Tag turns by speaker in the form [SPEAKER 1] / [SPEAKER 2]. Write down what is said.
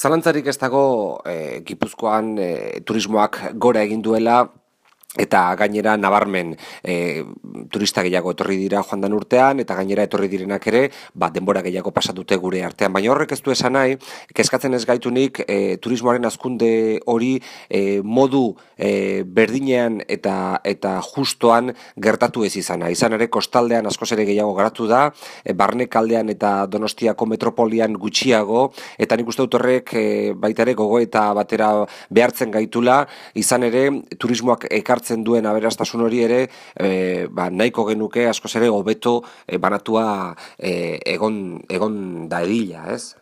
[SPEAKER 1] Zalantzarik ez dago Gipuzkoan turismoak gora egin duela eta gainera nabarmen turista gehiago etorri dira joan den urtean eta gainera etorri direnak ere denbora gehiago pasatute gure artean. Baina horrek ez du esan nahi, kezkatzen ez gaitunik turismoaren hazkunde hori modu berdinean eta justoan gertatu ez izana. Izan ere kostaldean askoz ere gehiago garatu da, barnekaldean eta Donostiako metropolian gutxiago, eta nik uste dut horrek baita ere gogoeta batera behartzen gaitula, izan ere turismoak ekartzen duen aberastasun hori ere nahiko genuke askoz ere hobeto banatua egon da edila, ez?